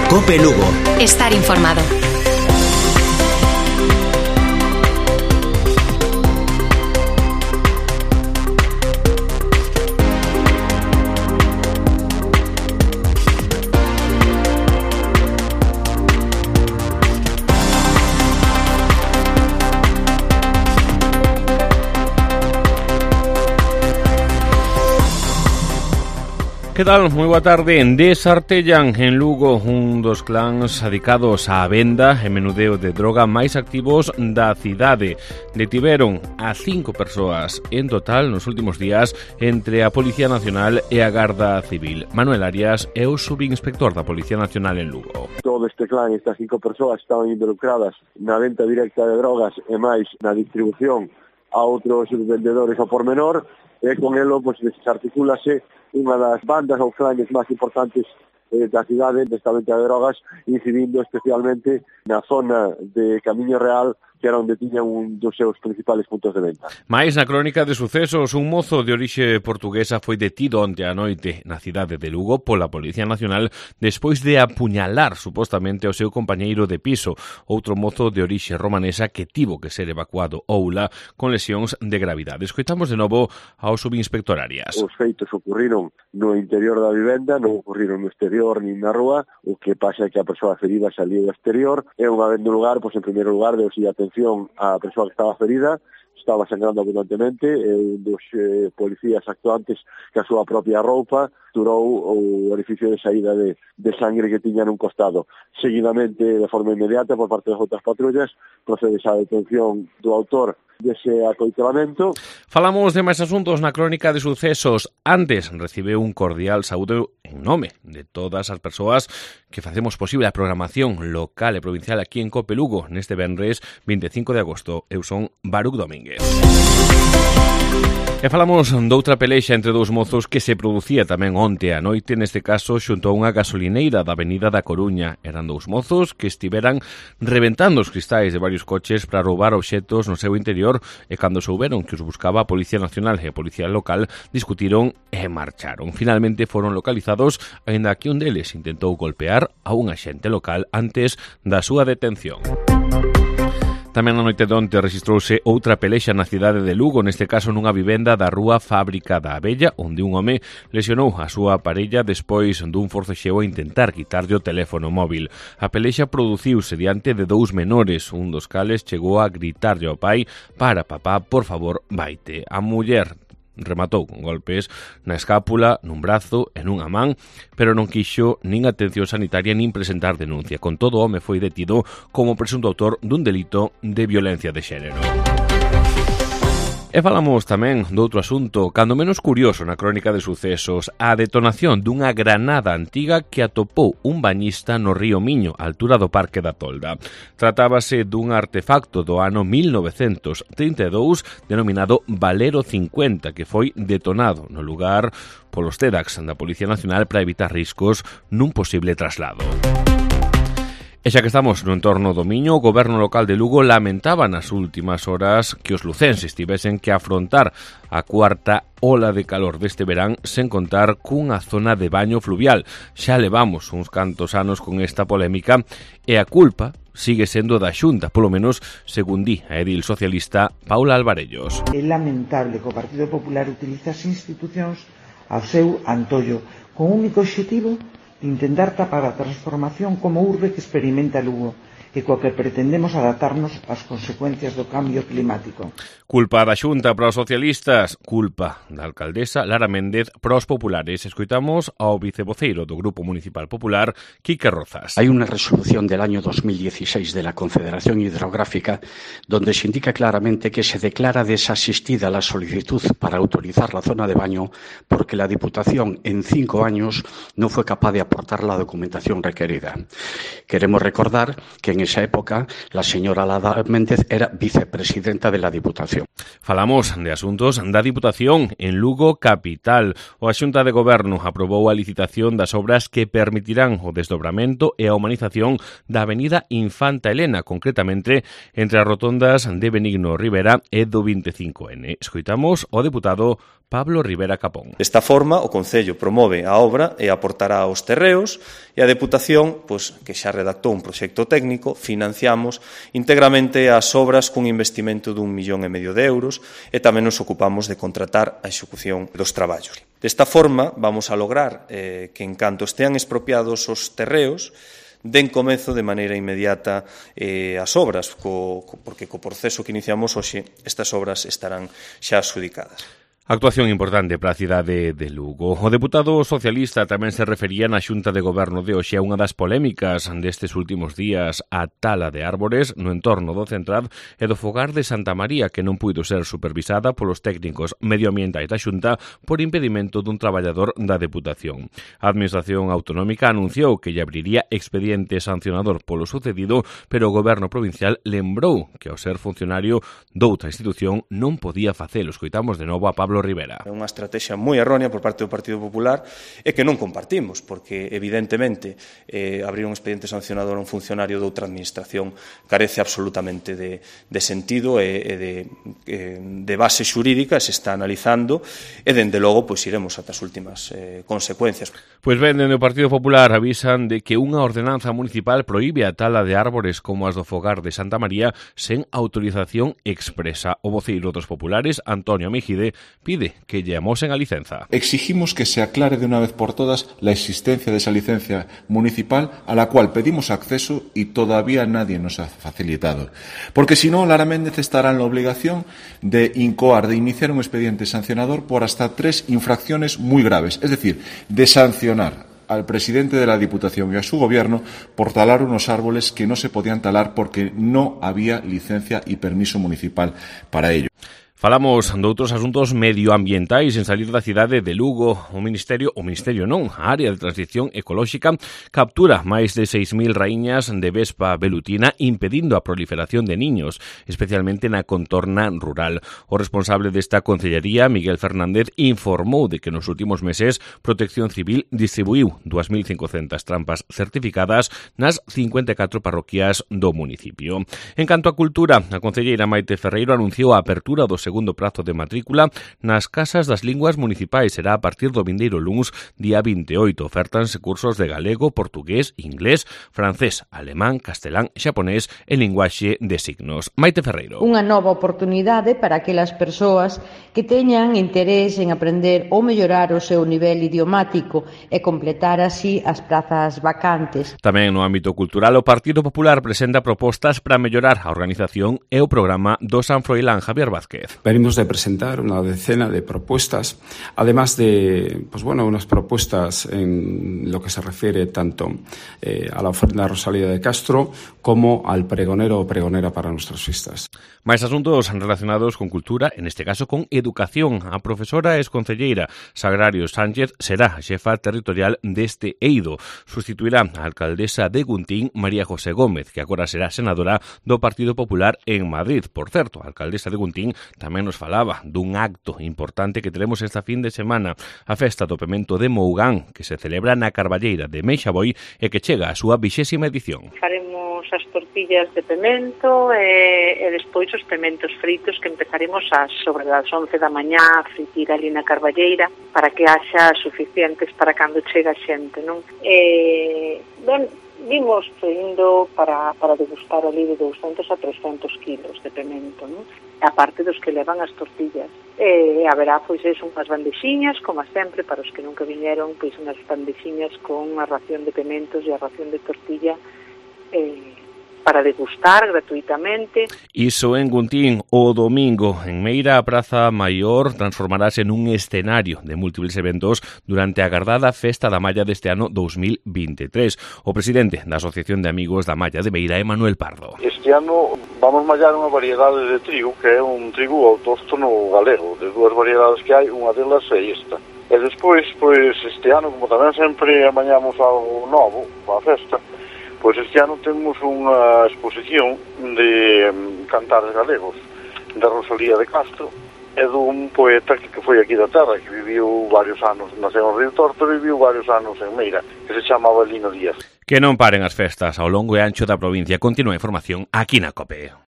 COPE Lugo. Estar informado. Que tal? Moi boa tarde. Desartellan en Lugo un dos clans adicados á venda e menudeo de droga máis activos da cidade. Detiveron a 5 persoas en total nos últimos días entre a Policía Nacional e a Garda Civil. Manuel Arias é o subinspector da Policía Nacional en Lugo. Todo este clan, estas 5 persoas estaban involucradas na venta directa de drogas e máis na distribución a outros vendedores ao pormenor, e con elo pues, desarticúlase unha das bandas ou clanes máis importantes da cidade desta venta de drogas, incidindo especialmente na zona de Camiño Real, que era onde tiñan un dos seus principales puntos de venta. Mais na crónica de sucesos, un mozo de orixe portuguesa foi detido onte a noite na cidade de Lugo pola Policía Nacional despois de apuñalar supostamente ao seu compañeiro de piso, outro mozo de orixe romanesa que tivo que ser evacuado ao ULA con lesións de gravidade. Escoitamos de novo ao subinspector Arias. Os feitos ocurriron no interior da vivenda, non ocurriron no exterior nin na rúa, o que pasa é que a persoa ferida saliu do exterior, e unha vez no lugar, pois en primeiro lugar, deu-se atención á persoa que estaba ferida, estaba sangrando abundantemente, e un dos policías actuantes que a súa propia roupa turou o orificio de saída de sangre que tiña nun costado. Seguidamente, de forma inmediata, por parte das outras patrullas, procede a detención do autor dese acoitelamento. Falamos de máis asuntos na crónica de sucesos. Antes recibeu un cordial saúdo en nome de todas as persoas que facemos posible a programación local e provincial aquí en COPE Lugo neste venres 25 de agosto. Eu son Baruch Domínguez. E falamos doutra pelexa entre dous mozos que se producía tamén onte a noite, neste caso xunto a unha gasolineira da Avenida da Coruña. Eran dous mozos que estiveran reventando os cristais de varios coches para roubar obxetos no seu interior, e cando souberon que os buscaba a Policía Nacional e a Policía Local, discutiron e marcharon. Finalmente foron localizados, aínda que un deles intentou golpear a un axente local antes da súa detención. Tamén na noite de onte registrouse outra pelexa na cidade de Lugo, neste caso nunha vivenda da rúa Fábrica da Abella, onde un home lesionou a súa parella despois dun forcexeo a intentar quitarlle o teléfono móvil. A pelexa produciuse diante de dous menores, un dos cales chegou a gritarlle ao pai: "Para, papá, por favor, vaite". A muller rematou con golpes na escápula, nun brazo e nunha man, pero non quixo nin atención sanitaria nin presentar denuncia. Con todo, o home foi detido como presunto autor dun delito de violencia de xénero. E falamos tamén doutro asunto, cando menos curioso na crónica de sucesos, a detonación dunha granada antiga que atopou un bañista no río Miño, á altura do Parque da Tolda. Tratábase dun artefacto do ano 1932 denominado Valero 50, que foi detonado no lugar polos TEDx da Policía Nacional para evitar riscos nun posible traslado. E xa que estamos no entorno do Miño, o goberno local de Lugo lamentaba nas últimas horas que os lucenses tivesen que afrontar a cuarta ola de calor deste verán sen contar cunha zona de baño fluvial. Xa levamos uns cantos anos con esta polémica e a culpa sigue sendo da Xunta, polo menos según di a edil socialista Paula Alvarellos. É lamentable que o Partido Popular utilice as institucións ao seu antollo, con un único obxectivo de intentar tapar a transformación como urbe que experimenta Lugo e coa que pretendemos adaptarnos ás consecuencias do cambio climático. Culpa da Xunta para os socialistas, culpa da alcaldesa Lara Méndez para os populares. Escoitamos ao vicevoceiro do Grupo Municipal Popular, Quique Rozas. Hay una resolución del año 2016 de la Confederación Hidrográfica donde se indica claramente que se declara desasistida la solicitud para autorizar la zona de baño porque la Diputación en 5 años no fue capaz de aportar la documentación requerida. Queremos recordar que en esa época la señora Lara Méndez era vicepresidenta de la Diputación. Falamos de asuntos da Diputación en Lugo capital. O Xunta de Goberno aprobou a licitación das obras que permitirán o desdobramento e a humanización da Avenida Infanta Elena, concretamente entre as rotondas de Benigno Rivera e do 25N. Escoitamos o deputado Pablo Rivera Capón. Desta forma, o Concello promove a obra e aportará os terreos e a Deputación, que xa redactou un proxecto técnico, financiamos íntegramente as obras cun investimento de 1,5 millón de euros e tamén nos ocupamos de contratar a execución dos traballos. Desta forma, vamos a lograr que, en canto estean expropiados os terreos, den comezo de maneira inmediata as obras, porque co proceso que iniciamos hoxe, estas obras estarán xa adxudicadas. Actuación importante para a cidade de Lugo. O deputado socialista tamén se refería na Xunta de Goberno de hoxe a unha das polémicas destes últimos días, a tala de árbores no entorno do Centrad e do fogar de Santa María, que non puido ser supervisada polos técnicos medioambientais da Xunta por impedimento dun traballador da Deputación. A Administración Autonómica anunciou que lle abriría expediente sancionador polo sucedido, pero o Goberno provincial lembrou que, ao ser funcionario doutra institución, non podía facelo. Escoitamos de novo a Pablo Rivera. É unha estrategia moi errónea por parte do Partido Popular e que non compartimos, porque evidentemente abrir un expediente sancionador a un funcionario de outra administración carece absolutamente de sentido e de base xurídica, se está analizando e dende logo iremos ata as últimas consecuencias. Pois ben, dende o Partido Popular avisan de que unha ordenanza municipal proíbe a tala de árbores como as do fogar de Santa María sen autorización expresa. O voceiro dos populares, Antonio Mejide, pide que lle amosen a licenza. Exigimos que se aclare de una vez por todas la existencia de esa licencia municipal a la cual pedimos acceso y todavía nadie nos ha facilitado. Porque si no, Lara Méndez estará en la obligación de iniciar un expediente sancionador por hasta 3 infracciones muy graves, es decir, de sancionar al presidente de la Diputación y a su gobierno por talar unos árboles que no se podían talar porque no había licencia y permiso municipal para ello. Falamos de outros asuntos medioambientais en salir da cidade de Lugo. A área de transición ecolóxica captura máis de 6.000 raíñas de vespa velutina impedindo a proliferación de niños, especialmente na contorna rural. O responsable desta concellería, Miguel Fernández, informou de que nos últimos meses Protección Civil distribuiu 2.500 trampas certificadas nas 54 parroquias do municipio. En canto a cultura, a concelleira Maite Ferreiro anunciou a apertura do segundo prazo de matrícula nas casas das linguas municipais. Será a partir do vindeiro luns, día 28. Ofertanse cursos de galego, portugués, inglés, francés, alemán, castelán, xaponés e linguaxe de signos. Maite Ferreiro. Unha nova oportunidade para aquelas persoas que teñan interés en aprender ou mellorar o seu nivel idiomático e completar así as prazas vacantes. Tamén no ámbito cultural, o Partido Popular presenta propostas para mellorar a organización e o programa do San Froilán. Javier Vázquez. Venimos de presentar una decena de propuestas, además de unas propuestas en lo que se refiere tanto a la ofrenda Rosalía de Castro como al pregonero o pregonera para nuestras fiestas. Máis asuntos relacionados con cultura, en este caso con educación. A profesora e exconcelleira Sagrario Sánchez será a xefa territorial deste eido. Sustituirá a alcaldesa de Guntín, María José Gómez, que agora será senadora do Partido Popular en Madrid. Por certo, a alcaldesa de Guntín tamén nos falaba dun acto importante que teremos esta fin de semana, a festa do pemento de Mougán, que se celebra na Carballeira de Meixaboi e que chega a súa 20ª edición. Faremos as tortillas de pemento e despois os pementos fritos que empezaremos sobre as 11 da mañá a fritir ali na Carballeira para que haxa suficientes para cando chega a xente, non? Vimos indo para degustar ali de 200 a 300 kilos de pemento, non? A parte dos que levan as tortillas. Haberá, unhas bandexiñas, como sempre, para os que nunca viñeron, unhas bandexiñas con a ración de pementos e a ración de tortilla para degustar gratuitamente. Iso en Guntín. O domingo, en Meira, a Praza Maior transformarase nun escenario de múltiples eventos durante a agardada Festa da Malla deste ano 2023. O presidente da Asociación de Amigos da Malla de Meira é Manuel Pardo. Este ano vamos mallar unha variedade de trigo, que é un trigo autóctono galego. De dúas variedades que hai, unha delas é esta. E despois, este ano, como tamén sempre amañamos algo novo para a festa, pois este ano temos unha exposición de cantares galegos da Rosalía de Castro e dun poeta que foi aquí da terra, que viviu varios anos, naceu en Río Torto e viviu varios anos en Meira, que se chamaba Lino Díaz. Que non paren as festas ao longo e ancho da provincia. Continúa a información aquí na COPE.